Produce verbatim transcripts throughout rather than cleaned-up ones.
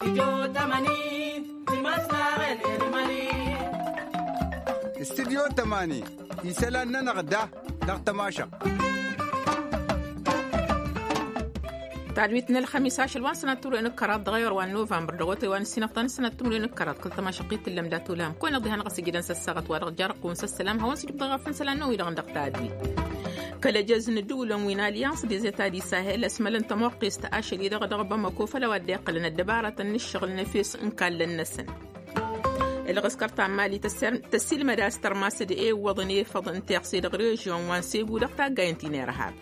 Studyo tămani isălan-nănăɣ da dăɣ-tămašăɣt. Tadwit n-ălxămis ašăl wa n-sănat timǝrwen d-kăraḍ dăɣ-ayɣăr wa n-novămbăr dăɣ-otay wa n-ǝssinăfḍa n-sănat timǝrwen d-kăraḍ kăl-tămašăɣt i-tǝllăm dat-olam kăwăn-iḍihănăɣ s-ijidăn s-ăssaɣăt wa dăɣ-jarăqqun s-ăssălam hawăn-sǝjǝbdăɣ ɣăf n-isălan-năwăn-wi-dăɣ dăɣ-tadwit. Kăl-ejăz n-ǝddǝwǝlăn wi n-allians des etadis ahel ăsmălăn tămoqqest ašăl-i-dăɣ dăɣ-bamăko făll-a-wa dd-iqqălăn ăddăbaratăn n-ǝššăɣǝl n-efes n-kallăn-năsăn. Ǝlɣǝskăr ta n-mali tăssilmăd a-s tărmas d-ewwăḍăn efăḍ n-tiɣse dăɣ-režion wa n-segu dăɣ-taggay n-tinirhab.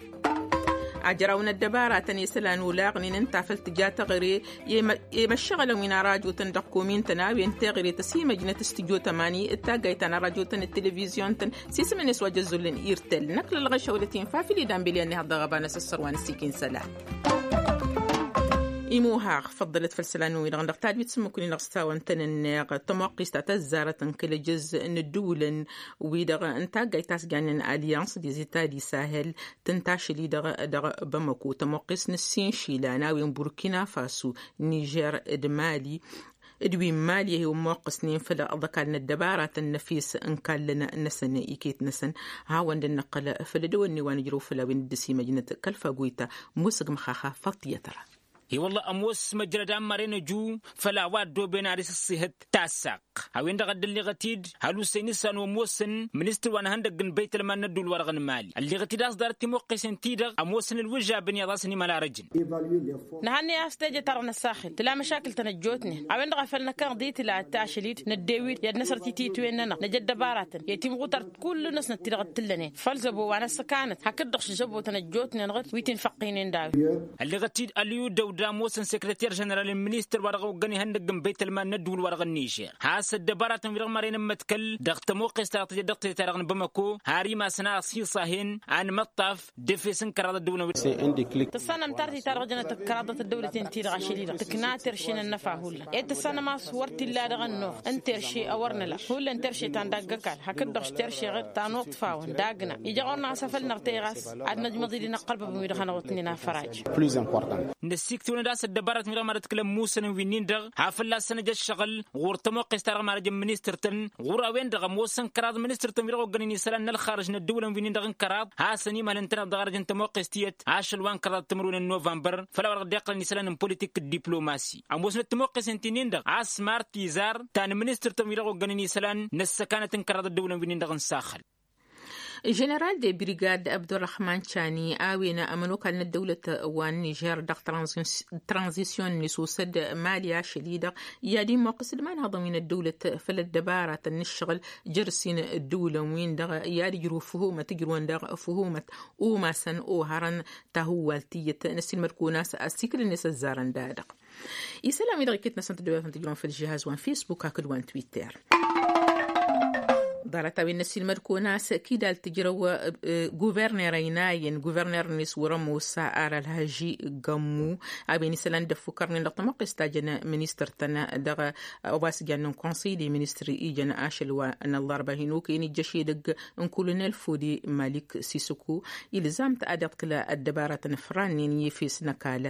Ajraw n-ăddăbaratăn isălan olaɣnen ǝnta făl tǝja teɣăre i-măššăɣǝlăn wi n-arajotăn dăɣ-komin-tăn a-wen teɣăre tăsimăjnăt s-tǝjo tămani d-taggay ta n-arajotăn d-televizyon-tăn s-isǝm-net wa jăzzolăn irtel. Năkk lălɣăšăwlăt-in fafil idan bilyan n-ihăḍ dăɣ-ăbanăs ăssărwa n-ăssikin isălan. Imuhaɣ făḍḍălăt făll-isălan-wi-dăɣ dăɣ-tadwit s-ǝmmǝk-nin-dăɣ s-tawăn-tăn-ǝnneɣ tămoqqist ta tăzzarăt n-kăl-ejăz n-ǝddǝwǝlăn wi-dăɣ n-taggayt ta s-jannen allians des itadi sahel tǝntašăl-i-dăɣ dăɣ-bamăko tămoqqist n-ǝssin išilan a-wen burkina faso nižer d-mali d-wi n-mali a hi-wămmoqqăsnen făll-ăḍăkal n-ăddăbaratăn n-efes n-kallăn-năsăn iket-năsăn. Hawăn-dd-năqqăl făll-edăwănne wa nǝjrăw făll-a-wen dd-ăsimăjnăt kăl-fagoyta musǝg măxaxa faṭiyăt-ra. I-wălla ămoos măjrăd ammăren ăju făll-a-wa ăddooben ad-isǝṣṣihăt tassaq a-wen-dăɣ a dd-ălleɣăt-dd hal ussăy n-isălan wa ămoosăn ministăr wa n-ihăndăgg n-băytălman n-ădduul-wa-dăɣ n-mali ălleɣăt-dd a-s ḍarăt timoqqesen-ti-dăɣ ămoosăn ǝlwǝžžabăn iyyăḍ a-s ănimăl arăjăn. Nǝhănnăy a-s teje-ta-dăɣ năssaxel tǝla măšakǝl-tăn ăjjootnen a-wen-dăɣ a făl năkkăneḍ-i tǝla ăttašăl-dd năddew-dd i-ad-năsrăt i-titwen-nănăɣ năj ăddăbaratăn i-timɣutart kull-năsnăt ti-dăɣ t-tǝllănen făll-zăbo wa n-ăssăkanăt hakd-dăɣ šăžăbotăn ăjjootnen ɣǝd wi t-infăqqinen d-a-wen. Ălleɣăt-dd ălyu dăwda ămoosăn sekreter ženeral n-ministăr wa dăɣ-oggăn ihăndăgg n-băytălman n-ădduul-wa-dăɣ n-nižer has-ăddăbaratăn-wi-dăɣ mărăn ǝmmătkăl dăɣ-tămoqqest ta dăɣ-tăjăt dăɣ-teta-dăɣ n-bamăko har imasăn a ăsiṣahen anmăṭṭaf d-efes n-kăraḍ ăddăwǝlăn. Tǝssanăm tartăy-ta-dăɣ jănăt ăkkăraḍăt ăddăwlăten-ti-dăɣ ašăl-i-dăɣ tǝkna terše n-ănnăfa hullan ed tǝssanăm a-s wăr t-illa dăɣ-ănnuɣ n-terše a wăr nǝla hullan terše ta n-daggăkal hakd-dăɣ s-terše ɣǝr ta n-uḍfawăn d-agna ija ɣur-năɣ a-s afăl năɣtăy ɣas ad-năjmăḍ-dd inăqqălbăbăn wi-dăɣ hanăɣ-wătnen afăraje. Năssiiktǝwăn-dd a-s ăddăbaratăn wi-dăɣ mad-ătkǝlăn musăn wi-nin-dăɣ ha fălla-săn ăj ăššăɣǝl ɣur-tămoqqest-ta-dăɣ mad-ăj n-ministăr-tăn ɣur-a-wen-dăɣ ămoosăn kăraḍ ministăr-tăn wi-dăɣ oggănen isălan n-ălxarǝj n-ăddăwǝlăn wi-nin-dăɣ n-kăraḍ hasăn-imhălăn-tăn-ăḍ dăɣ-arăj n-tămoqqes tiyyăt ašăl wa n-kăraḍ timǝrwen n-novămbăr făll-a-wa dăɣ-dd-iqqălăn isălan n-politik d-diplomasi. Ămoosnăt tămoqqesen ti-nin-dăɣ a-s mar tizar ta n-ministăr-tăn wi-dăɣ oggănen isălan n-ăssăkanăt n-kăraḍ ăddăwǝlăn wi-nin-dăɣ n-saxăl. Ženeral de brigad abdurrăhman cani a-wen ămănokal n-ăddăwlăt wa n-nižer dăɣ-tranzisyon-net osăd mali ašăl-i-dăɣ i-ad-immoqqǝs d-imanhăḍăn wi n-ăddăwlăt făll-ăddăbaratăn n-ǝššăɣǝl jăr-s-in ǝddǝwǝlăn-win-dăɣ i-ad-ǝjrǝw făhumăt ǝjrǝwăn daɣ făhumăt umasăn oharăn tahǝwwalt tiyyăt n-ăssiilmăd-kăwăn a-s asikǝl-net ăzzarăn da-dăɣ. Isălan-wi-dăɣ iket-năsăn tăddăwăyătăn tǝjrăwăn făll-žihaz wa n-fisbuk hakd wa n-twitter. Ḍarăt-a-wen n-ăssiilmăd-kăwăn a-s kidal tǝjrăw guverner ăynayăn guverner-net wăr-ămoos ar ălhăži gămmu a-wen isălan dd-ăffukărnen dăɣ-tămoqqes ta jăn ministăr-tăn dăɣ-ăwasjan n-konsăy de ministăr ijăn ašăl wa n-ăllarba hin-okăyăn ijjăš edăgg n-kolonel fodi malik sisăku. Ilzam-t ad-iḍkǝl ăddăbaratăn ăfrannen i-efes n-ăkall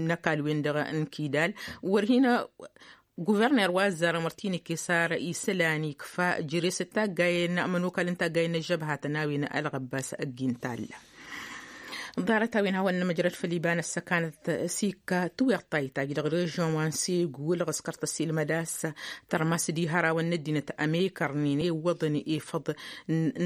n-ăkall-wen-dăɣ n-kidal wăr hin-guverner wa ăzzarăn wăr t-in-ăkkes ara isălan ikfa jere-s d-taggayen n-ămănokal n-taggayen n-ăžžăbhatăn a-wen ălɣăbbas ăgg-i n-talla. Ḍarăt-a-wen hawăn-nămăjrăd făll-iba n-ăssăkanăt s-ikka tiweḍt ta itajj dăɣ-režion wa n-segu ǝlɣǝskăr tăsilmăd a-s tărmas d-ihărawăn n-ăddinăt ămekărnen iwwăḍăn ifăḍ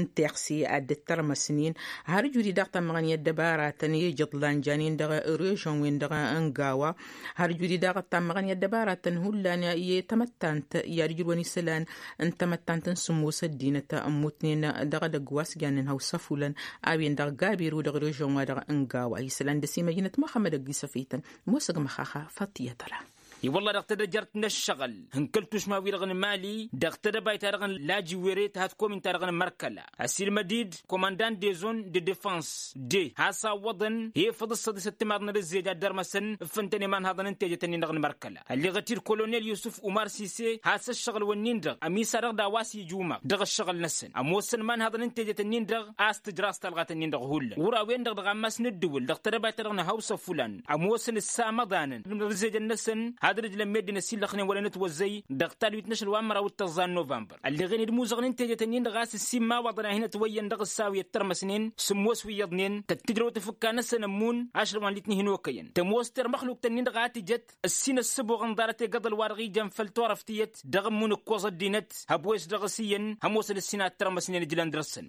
n-teɣse ad-dd-tărmăsnen. Har ǝjud-i daɣ tammăɣăn i-ăddăbaratăn i-ijǝḍlan janen dăɣ-režion-wen-dăɣ n-gawa. Har ǝjud-i daɣ tammăɣăn i-ăddăbaratăn hullan i-tamăttant i-ad-ǝjrǝwăn isălan n-tamăttant n-sǝmmos ăddinăt ămmutnen dăɣ-edăgg wa s-jannen hawsa fulăn a-wen-dăɣ gabiru dăɣ-režion-wa-dăɣ n-gawa isălan dăr-s imăjnăt muxămmăd ăgg-isăfităn. Musăg măxaxa făṭṭiyăt-ra. I-wălla dăɣ-tedăjărt n-ǝššăɣǝl n-kăl-tušma-wi-dăɣ n-mali dăɣ-tedăbayt-ta-dăɣ n-lajiwere tăhăt komin-ta-dăɣ n-mărkăla ăsilmăd-dd komăndan de zon de defăns de has-awwăḍăn efăḍ ǝssăḍisăt timaḍ n-ad-ǝzzej ad-dărmăsăn. Ǝffǝntăn imanhaḍăn n-tejăt-nin-dăɣ n-mărkăla ălleɣăt-dd kolonel yusǝf umar sise has-ǝššăɣǝl-wǝnnin-dăɣ ămisaɣ-dăɣ d-a-wa s-ijumăɣ dăɣ-ǝššăɣǝl-năsăn ămoosăn imanhaḍăn n-tejăt-nin-dăɣ a-s tǝjraẓ talɣat-nin-dăɣ hullan ɣur-a-wen-dăɣ dăɣ-ammas n-ǝddǝwǝl ddăɣ-tedăbayt-ta-dăɣ n-hawsa fulan ămoosăn ǝssamăḍanăn n-ărǝzzejăn-năsăn. ad-dd-ǝjlăn meddǝn ăsillăxnen wăren ătwăzzăy dăɣ-talwit n-ašăl wa n-măraw d-tăẓẓa n-novămbăr. Ălleɣen-dd imuzăɣnen teje-ten-in-dăɣ a-s ǝssin imawaḍăn a hin-ătwăyyăn dăɣ-ǝssaw i-ăttărmăsnen sǝmmos wi iyyăḍnen tăt-tǝjrăw tafǝkka-năsăn ămmun ašăl wa n-litni hin-okăyăn tămoos termăxlukt-ǝnnin-dăɣ a tǝjăt ǝssin ăssǝboɣ n-ḍarăt egăḍăl-wa-dăɣ ijăn făll-turăft tiyyăt dăɣ-ămmun ǝkkoẓ ăddinăt hăbwes dăɣ-s iyyăn hămoosăn ǝssin a ǝttărmăsnen ǝjlan dăr-săn.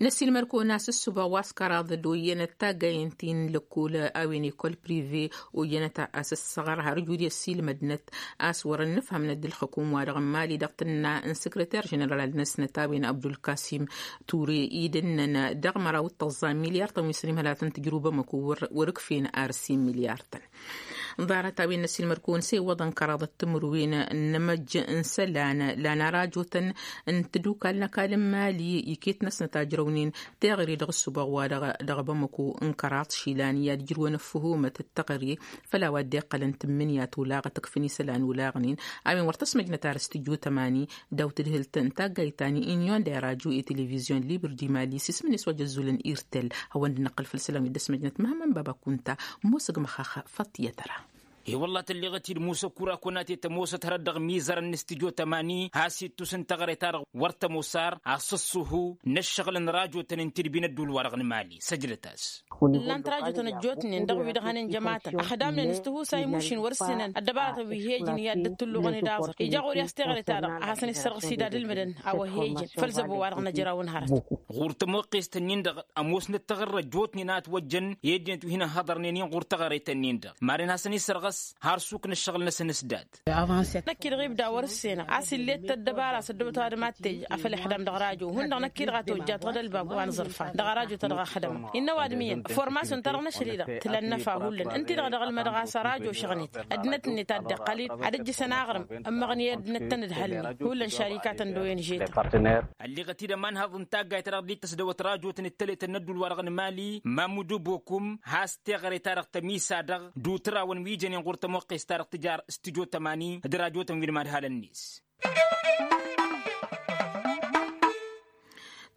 Năsilmăr-kăwăn a-s ǝssǝboɣ wa s-kăraḍ d-oyyănăt taggayen ti n-lăkkol a-wen ekol prive oyyănăt a-s ăssăɣăr har ǝjud i-ăssiilmădnăt a-s wăr-ănnǝfhămnăt d-ǝlxǝkum-wa-dăɣ n-imali dăɣ-tǝnna n-săkrăter ženeral-năsnăt a-wen abdulkasim ture i-dd-ǝnnăn dăɣ-măraw d-tăẓẓa n-milyar-tăn wi s-ănimhăl ad-tăn-tǝjrǝw bamăko wăr-ǝkfen ar s-in milyar-tăn. Ḍarăt-a-wen n-ăsilmăr-kăwăn s-e iwwăḍăn kăraḍăt timǝrwen n-inǝmăjj n-isălan la n-arajotăn n-tadukal n-ăkall n-imali iket-năsnăt a ǝjrăwnen teɣăre dăɣ-ǝssǝboɣ-wa-dăɣ dăɣ-bamăko n-kăraḍ išilan i-ad-ǝjrǝwăn ăffǝhumăt d-teɣăre făll-a-wa dd-iqqălăn tǝmmǝnǝya tolaɣăt ǝkfǝn isălan olaɣnen a-wen wăr tăsmăjnăt ar s-tǝjjutăm ani daw-tǝdhǝlt n-taggayt ta n-inyon d-irajo i-televizyon liber d-imali s-ismǝn-s wa jăzzulăn irtel. Hawăn-dd-năqqǝl făll-isălan wi dd-ăsmăjnăt măhămmăn baba kunta. Ămoosăg măxax fattiyăt ăra. E-wălla tălleɣăt-dd musa kura kunate tămoosăt hărăt dăɣ-mizărăn n-studyo tămani has-ittus n-teɣăre-ta-dăɣ wăr tămoos ar asǝṣṣuhu n-ǝššăɣǝl n-rajotăn n-tidbi n-ădduul-wa-dăɣ n-imali săjdăt-as. Ǝllan-t rajotăn ăjjootnen dăɣ-wi-dăɣ hanen jămatăn ăxdamnen s-tihusay mušin wăr ǝssǝnăn ăddăbaratăn wi he-ǝjǝn i-ad-dd-ăttulluɣăn-dd aẓăr ija ɣur-i a-s teɣăre-ta-dăɣ a hasăn-issărɣǝs-id ad-ǝlmǝdăn a-wa he-ǝjǝn făll-zăbo-wa-dăɣ n-ajraw n-hărăt. Ɣur-tămoqqest-ǝnnin-dăɣ ămoosnăt teɣăre ăjjootnen a ătwăjjăn i-ăddinăt wi hin-ăhhăḍărnen-in ɣur-teɣăret-ǝnnin-dăɣ maren hasăn-issărɣǝs har suk n-ăššăɣǝl-năsăn s-dat. Năkk-i-dăɣ ibda wăr-ǝssenăɣ a-s ill'-e d-tăddăbara s-ăddăbăt ăwadǝm ad-t-ej afăl ixdam dăɣ-rajo hundăɣ năkk-i-dăɣ a tojjat ɣǝd ălbab wa n-zărfa dăɣ-arajo-ta-dăɣ ăxdămăɣ innă ăwadǝm iyyăn formasyon-ta-dăɣ n-ašăl-i-dăɣ tǝla ănnăfa hullan ǝnta-i-dăɣ dăɣ-ălmădăɣ a-s ărajo šăɣnet ăddinăt-net a dd-iqqăl-dd ad-ǝjjǝsăn aɣrǝm ǝmmăɣ n-i ăddinăt-tăn d-hălmi hullan šarikatăn d-oyen žetăn. Ălleɣăt-dd ămanhăḍ n-taggayt-ta-dăɣ dd-tăsdăwăt rajo-tăn d-tălet n-ădduul-wa-dăɣ n-imali mamudu bokum has-teɣăre-ta-dăɣ tămisa-dăɣ d-utrawăn wi jănen ɣur-tămoqqes-ta-dăɣ tǝjar s-tǝjo tămani d-rajo-tăn wi n-imadhalăn-net.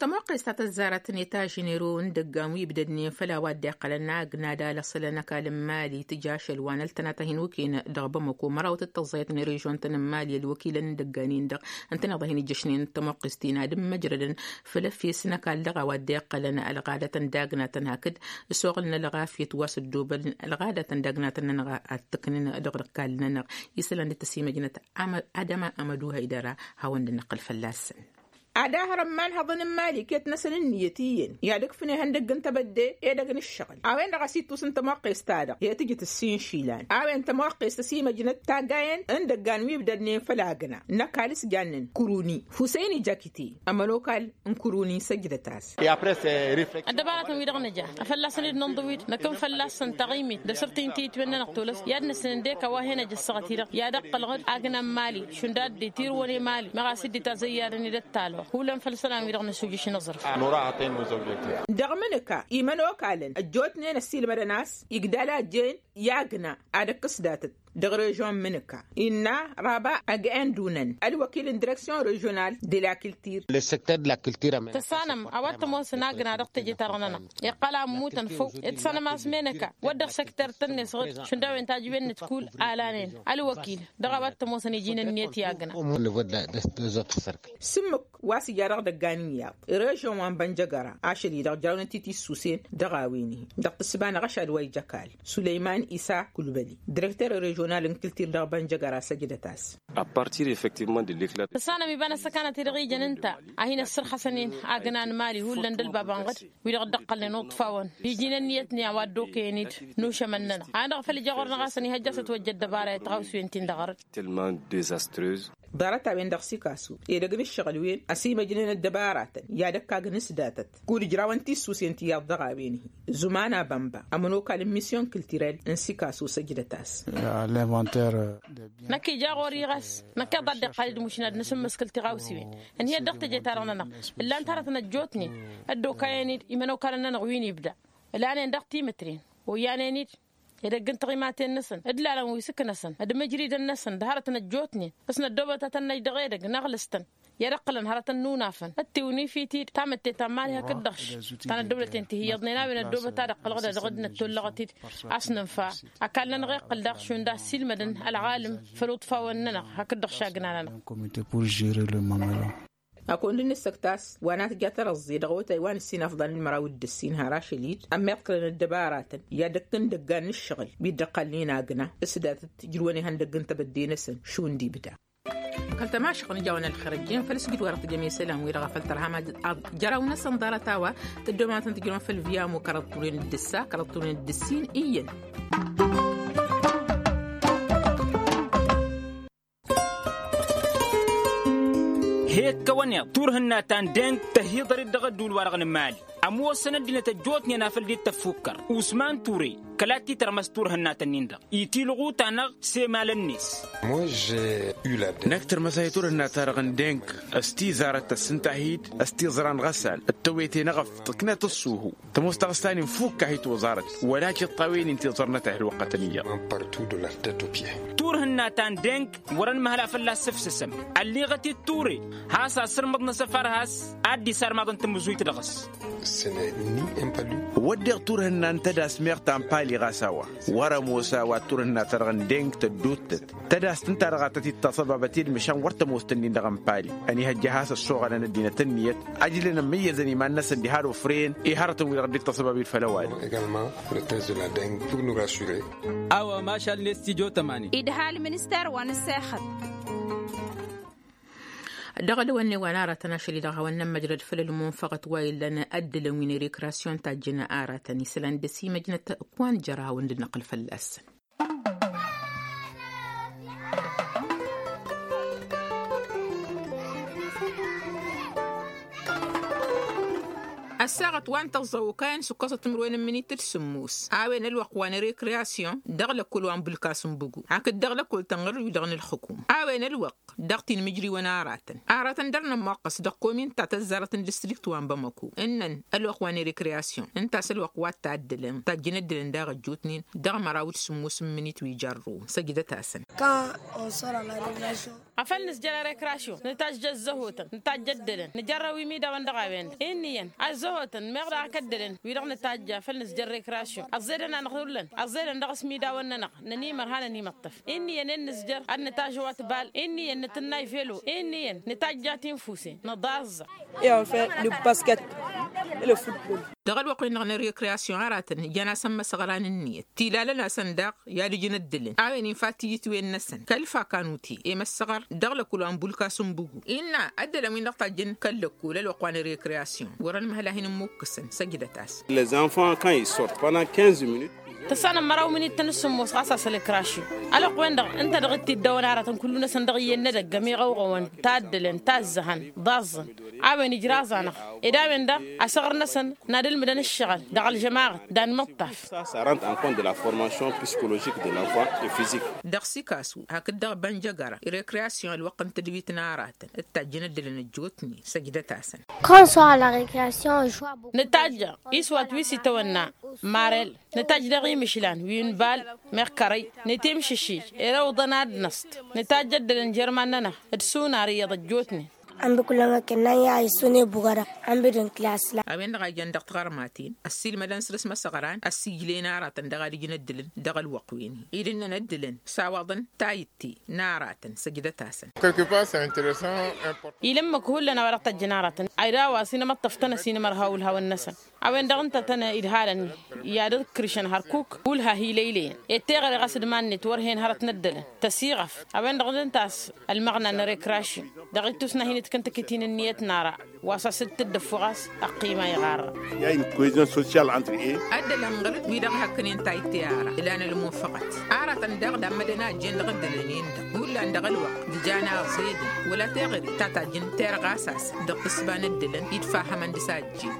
Tămoqqes ta tăzzarăt n-eta ženero n-idăggan wi ibdădnen făll-a-wa dd-iqqălăn agna d-alăṣălăn ăkall n-imali tǝja ašăl wa n-ăltănat a hin-okăyăn dăɣ-bamăko mărawăt d-tăẓẓayăt n-režon-tăn n-imali ălwăkilăn n-idăggan-in-dăɣ ǝntăneḍ a hin-ijjăšnen tămoqqest-in ad-ǝmmăjrădăn făll-efes n-ăkall dăɣ-a-wa dd-iqqălăn ălɣadăt n-dagnatăn hakd s-oɣǝl n-ălɣafyăt wa s-ăddoobălăn ălɣadăt n-dagnatăn-nănăɣ ad-t-ǝknen dăɣ-ăkall-nănăɣ isălan dd-tăsimăjnăt adăma amădu hăydăra. Hawăn-dd-năqqǝl fălla-săn. Ad-ahăr ămmanhăḍăn n-imali iket-năsăn ǝnniyăt iyyăn i-ad-ǝkfǝn ihăndăgg n-tebădde edăgg n-ǝššăɣǝl a-wen-dăɣ a-s ittus n-tămoqqest-ta-dăɣ i-tǝjǝt ǝssin išilan a-wen tămoqqest ăsimăjnăt taggayen n-idăggan wi ibdădnen făll-agna n-ăkall s-jannen kuruni huseyn ijakite ămănokal n-kuruni săjdăt-as. Ăddăbaratăn-wi-dăɣ nǝja afălla-săn-dd nǝnḍǝw-dd năkk n-fălla-săn taɣimit d-asǝrtǝy n-tiyǝtwen-nănăɣ tolăs i-ad-nǝsǝnăn d-eka wa hen-ăj ăssaɣăt-i-dăɣ i-ad-ăqqălăɣ-dd agna n-imali šund a dd-itirǝwăn i-imali meɣ a-s dd-itazăyyadăn-dd ăttalăɣ hullan făll-isălan-wi-dăɣ nǝsujǝš n-aẓrǝf. Dăɣ-imǝnǝka imănokalăn ăjjootnen ăssiilmădăn a-s igdal a ăjjeen i-agna ad-ăkk s-datăt dăɣ-režon n-imǝnǝka innă raba ăgg-e n-dunăn ălwăkil n-direksyon režional de la kiltir. Tăssanăm a-wa t-ămoosăn agna dăɣ-teje-ta-dăɣ-nănăɣ iqqăl a ămmutăn făw. Ed tăssanăm a-s menăka wăr dăɣ-săkter tănne-s ɣǝd šund a-wen tajǝwen-net kull a lanen ălwăkil dăɣ-a-wa t-ămoosăn iji n-ǝnniyăt i-agna. S-ǝmmǝk wa s-ija dăɣ-idăggan iyyăḍ režon wa n-bănjăgăra ašăl-i-dăɣ jărawnăt-i tissusen dăɣ-a-wen-hi dăɣ-tǝssǝba n-aɣăšad wa ija ăkall sulăyman isa kulbăli direkter režional n-kǝltir dăɣ-bănjăgăra săjdăt-as. Tăssanăm iba n-ăssăkanăt-i-dăɣ ijăn ǝnta a hin-ăssărxăsăn-in agna n-imali hullan d-ălbab ănɣăd wi-dăɣ dd-ăqqălnen uṭṭfawăn iji n-ǝnniyăt-ni a-wa dd-okăyăn-dd n-ušămăn-nănăɣ a-dăɣ făl ija ɣur-năɣ a-s ănihăjja a-s ătwăjja ăddăbara i-tăɣawsiwen-tin-dăɣ arăt. Ḍarăt-a-wen-dăɣ sikasu edăgg n-ǝššăɣǝl wen ăsimăjnen ăddăbaratăn i-ad-ăkk agn s-datăt kud-ǝjrawăn tissusen tiyyăḍ dăɣ-a-wen-hi. Zumana bănba ămănokal n-misyon kǝltirel n-sikasu săjdăt-as. Năkk ija ɣur-i ɣas năkk iḍa dd-iqqal-dd mušna d-nǝsǝmmǝskǝl tiɣawsiwen ǝnhǝyăt dăɣ-teje-ta-dăɣ-nănăɣ ǝllan-t hărătăn ăjjootnen ăddokayăn-dd imănokalăn-nănăɣ wi n-ibda ǝlanen dăɣ-timǝtren oyyanen-dd edăgg n-tiɣimaten-năsăn d-ilalăn wi s-ǝknăsăn d-imǝjridăn-năsăn d-hărătăn ăjjootnen s-năddoobăt ad-tăn-năj dăɣ-edăgg n-aɣlǝs-tăn. i-ad-ǝqqǝlăn hărătăn n-unafăn ăttiwǝnifit-dd tamǝtte ta n-imali hakd-dăɣ-š ta n-ăddăwlăten ti hi-iyyăḍnen a-wen ăddoobăt ad-ǝqqǝlăɣ d-ad-dăɣ-dd-năttollăɣăt-dd. A-s nǝnfa ăkall-nănăɣ iqqǝl daɣ šund a ăssiilmădăn ălɣalǝm făll-uṭfawăn-nănăɣ hakd-dăɣ šagna-nănăɣ. Ăkund n-ǝssǝkt a-s wa n-atǝja tărăẓẓe dăɣ-otay wa n-ǝssin afḍal n-măraw d-ǝssin har ašăl-dd ămmiḍkălăn ăddăbaratăn i-ad-ăkk n-idăggan n-ǝššăɣǝl wi dd-ăqqalnen agna s-datăt ǝjrǝwăn ihăndăgg n-tebădde-năsăn šund ibda. Kăl-tămašăɣt n-ija-wen ălxer ăjjeen făll-asǝjǝd wa dăɣ-tǝjăm i-isălan-wi-dăɣ a făl tărha jăraw-năsăn ḍarăt a-wa tǝddomatăn tǝjrǝwăn făll-viamo kăraḍ turen d-ǝssa kăraḍ turen d-ǝssin iyyăn. He-ǝkkăwăn iḍ turhǝnna ta n-deng tăhiḍăr-dd dăɣ-ădduul-wa-dăɣ n-imali ămoosăn ăddinăt ăjjootnen a făl dd-tăffukkăr usman ture kăla t-titărmăs turhǝnna-tăn-in-dăɣ itilɣu-ta-năɣ s-emalăn-net. Năkk tărmăs a hi-turhǝnna-ta-dăɣ n-deng s-tizarăt tăssǝnta-hi-dd s-tiẓra n-ɣăsal d-tăwete n-eɣăft tǝknăt ǝṣṣuhu. Tămoos taɣǝsta-nin fukk a hi-toẓarăt wăla tiṭṭawen-in tiẓărnăt a hi-ălwăqqătăn iyyăḍ. Turhǝnna ta n-deng wăr-ănmăhăl a fălla-s ǝfsǝsăm ălliɣăt-dd ture has-asǝrmǝḍ n-asăfar has-ad-dd-isarmaḍăn tamǝzuyt dăɣ-s. Wădden turhǝnna n-tădas meɣ ta n-pali ɣas a-wa wăr-ămoos a-wa turhǝnna-ta-dăɣ n-deng tădduuttăt tădast ǝnta-dăɣ a tăt-dd-taṣăbabăt i-dd măšan wăr tămoos tăn-in-dăɣ n-pali ănihăjja a has-ăssoɣălăn ăddinăt ǝnniyăt. Ăjlăn ămmăyyăzăn iman-năsăn diha d-ofren i-hărătăn-wi-dăɣ dd-tăṣăbab-dd făll-ăwadǝm. Awămašal n-estijo tămani. Idha ălminister wa n-ǝssexăt. Dăɣ-ălwănne wa n-aratăn ašăl-i-dăɣ hawăn-nămmăjrăd făll-ălmunfăɣăt wa illăn ăddǝlăn wi n-rekrasyon tajjăn aratăn isălan d-ăsimăjnăt. Wa n-jăr hawăn-dd-năqqǝl fălla-săn. Ăssaɣăt wa n-tăẓẓăw okayăn s-ǝkkăẓăt timǝrwen n-imǝnit d-sǝmmos a-wen ălwăqq wa n-rekrasyon dăɣ-lăkkul wa n-bulkas n-bugu hakd dăɣ-lăkkul tănɣăr wi-dăɣ n-ǝlxǝkum a-wen ălwăqq dăɣ-ti n-imǝjriwăn aratăn. Aratăn dăr-nămmoqqăs dăɣ-komin ta tăzzarăt n-distrikt wa n-bamăko ǝnnăn ălwăqq wa n-rekrasyon ǝnta a-s ălwăqq wa t-taddǝlăn tajjăn ăddǝlăn daɣ ăjjootnen dăɣ-măraw d-sǝmmos n-imǝnit wi jarrăwăn săjdăt-asăn. Afăl nǝzjăr rekrasyon nǝtajja ăzzăhotăn nǝtajja ăddǝlăn nǝjărrăw imidawăn dăɣ-a-wen-dăɣ inn'-iyyăn ăzzăhotăn meɣ daɣ ak ăddǝlăn wi-dăɣ nǝtajja făl nǝzjăr rekrasyon ăẓẓedăn-anăɣ hullan ăẓẓedăn dăɣ-s imidawăn-nănăɣ. Nănimăr hanăn-imǝṭṭăf inn'-iyyăn ed nǝzjăr ad-nǝtajǝwăt bal inn'-iyyăn nǝtǝnnay velo inn'-iyyăn nǝtajja tinfusen nǝḍaẓẓăɣ. Iyyăn făl nǝbbasket. Dăɣ-ălwăqq wi n-dăɣ n-rekrasyon aratăn ǝjăn-asăn imăsăɣran ǝnniyăt tilalăn-asăn daɣ i-ad-ǝjǝn ăddǝlăn a-wen infa tiyǝtwen-năsăn kăl-fakanute i-măssăɣăr dăɣ-lăkul wa n-bulkas n-bugu innă ăddălăn wi n-dăɣ tajjăn kăl-lăkul ălwăqq wa n-rekrasyon wăr-ănmăhăl a hin-ǝmmukkǝsăn săjdăt-as. Les enfants quand ils sortent pendant quinze minutes. Tăssanăm măraw mǝnit-tăn s-sǝmmos ɣas a-s ălǝkrašyu ălwăqq-wen-dăɣ ǝnta dăɣ-t-dd-ăwăn aratăn kullu-năsăn dăɣ-iyyăn n-edăgg ămiɣăwɣăwăn taddǝlăn tazzăhăn ḍaẓẓăn. A-wen ijraẓ-anăɣ ed a-wen daɣ asăɣr-năsăn n-ad-ǝlmǝdăn ǝššăɣǝl dăɣ-ălžămaɣăt d-anmǝṭṭaf. Ça rentre en compte de la formation psychologique de l'enfant et physique. Dăɣ-sikasu hakd dăɣ-bănjăgăra rekrasyon ălwăqq n-tǝdwit n-aratăn d-tajjăn ăddălăn ăjjootnen săjdăt-asăn. Quand on sort à la récréation on joue à beaucoup. Nǝtajja iswat wi s-itawănna marel nǝtajj daɣ imǝšlan wi n-bal meɣ kărăy nǝtimšǝšij. Erăwḍăn ad-năṣt nǝtajj ăddălăn jer-iman-nănăɣ d-sunar iyyăḍ ăjjootnen. Ănbi kullăn wăkken năyya isune bugăra. Ănbi d-n-klas-la. A-wen-dăɣ a ijăn dăɣ-tiɣărmaten ăssiilmădăn săr-s imăsăɣran ăssiijlen aratăn dăɣ-ad-ǝjǝn ăddǝlăn dăɣ-ălwăqq-wen-hi dd-ǝnnăn ăddǝlăn s-a-wa ḍăn tayǝtte n-aratăn săjdăt-asăn. Ilǝmmǝk hullan a-wa dăɣ-tăjjăn aratăn a-wa s-inămăṭṭăf-tăn ăsinămărha ulhawăn-năsăn. A-wen-dăɣ ǝnta a tăn-idhalăn i-ad-ǝkrǝšăn hărkuk ulha hi-lăylăyăn. Ed teɣăre ɣas d-iman-net wăr hen hărăt n-ăddălăn tăsiɣăf. A-wen-dăɣ ǝnta a-s ălmăɣna n-rekrashin dăɣ-ittus n-ad-hin-ǝtkǝntǝk itin ǝnniyăt n-ara wa s-asǝttǝd d-ăffuɣ a-s ăqqima iɣarra. I-a une cohésion sociale entre eux. Ăddălăn ɣǝr-dd wi-dăɣ hăkkănen tayǝtte ara ǝlan ălmunfăɣăt. Aratăn daɣ dammădăn a ăjjeen dăɣ-ăddălăn-en-dăɣ hullan dăɣ-ălwăqq d-jan aẓedăn wăla teɣăre ta tajjăn terɣa a-s asăn dăɣ-tǝssǝba n-ăddălăn idfahămăn dăɣ-s a ăjjeen.